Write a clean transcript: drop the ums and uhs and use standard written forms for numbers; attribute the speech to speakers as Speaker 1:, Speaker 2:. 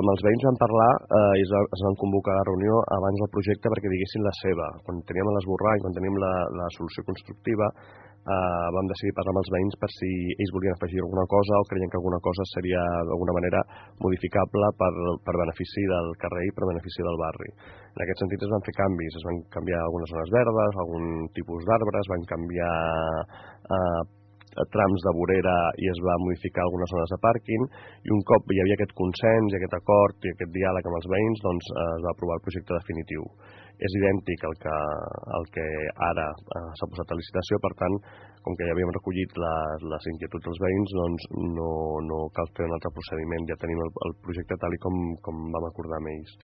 Speaker 1: Amb els veïns vam parlar i es van convocar a la reunió abans del projecte perquè diguessin la seva. Quan teníem l'esborrany, quan teníem la solució constructiva, vam decidir parlar amb els veïns per si ells volien afegir alguna cosa o creien que alguna cosa seria d'alguna manera modificable per benefici del carrer i per benefici del barri. En aquest sentit es van fer canvis, es van canviar algunes zones verdes, algun tipus d'arbres, van canviar trams de vorera i es va modificar algunes zones de pàrquing, i un cop hi havia aquest consens i aquest acord i aquest diàleg amb els veïns, doncs es va aprovar el projecte definitiu. És idèntic al que ara s'ha posat a licitació, per tant, com que ja havíem recollit les inquietuds dels veïns, doncs no cal fer un altre procediment, ja tenim el projecte tal com vam acordar amb ells.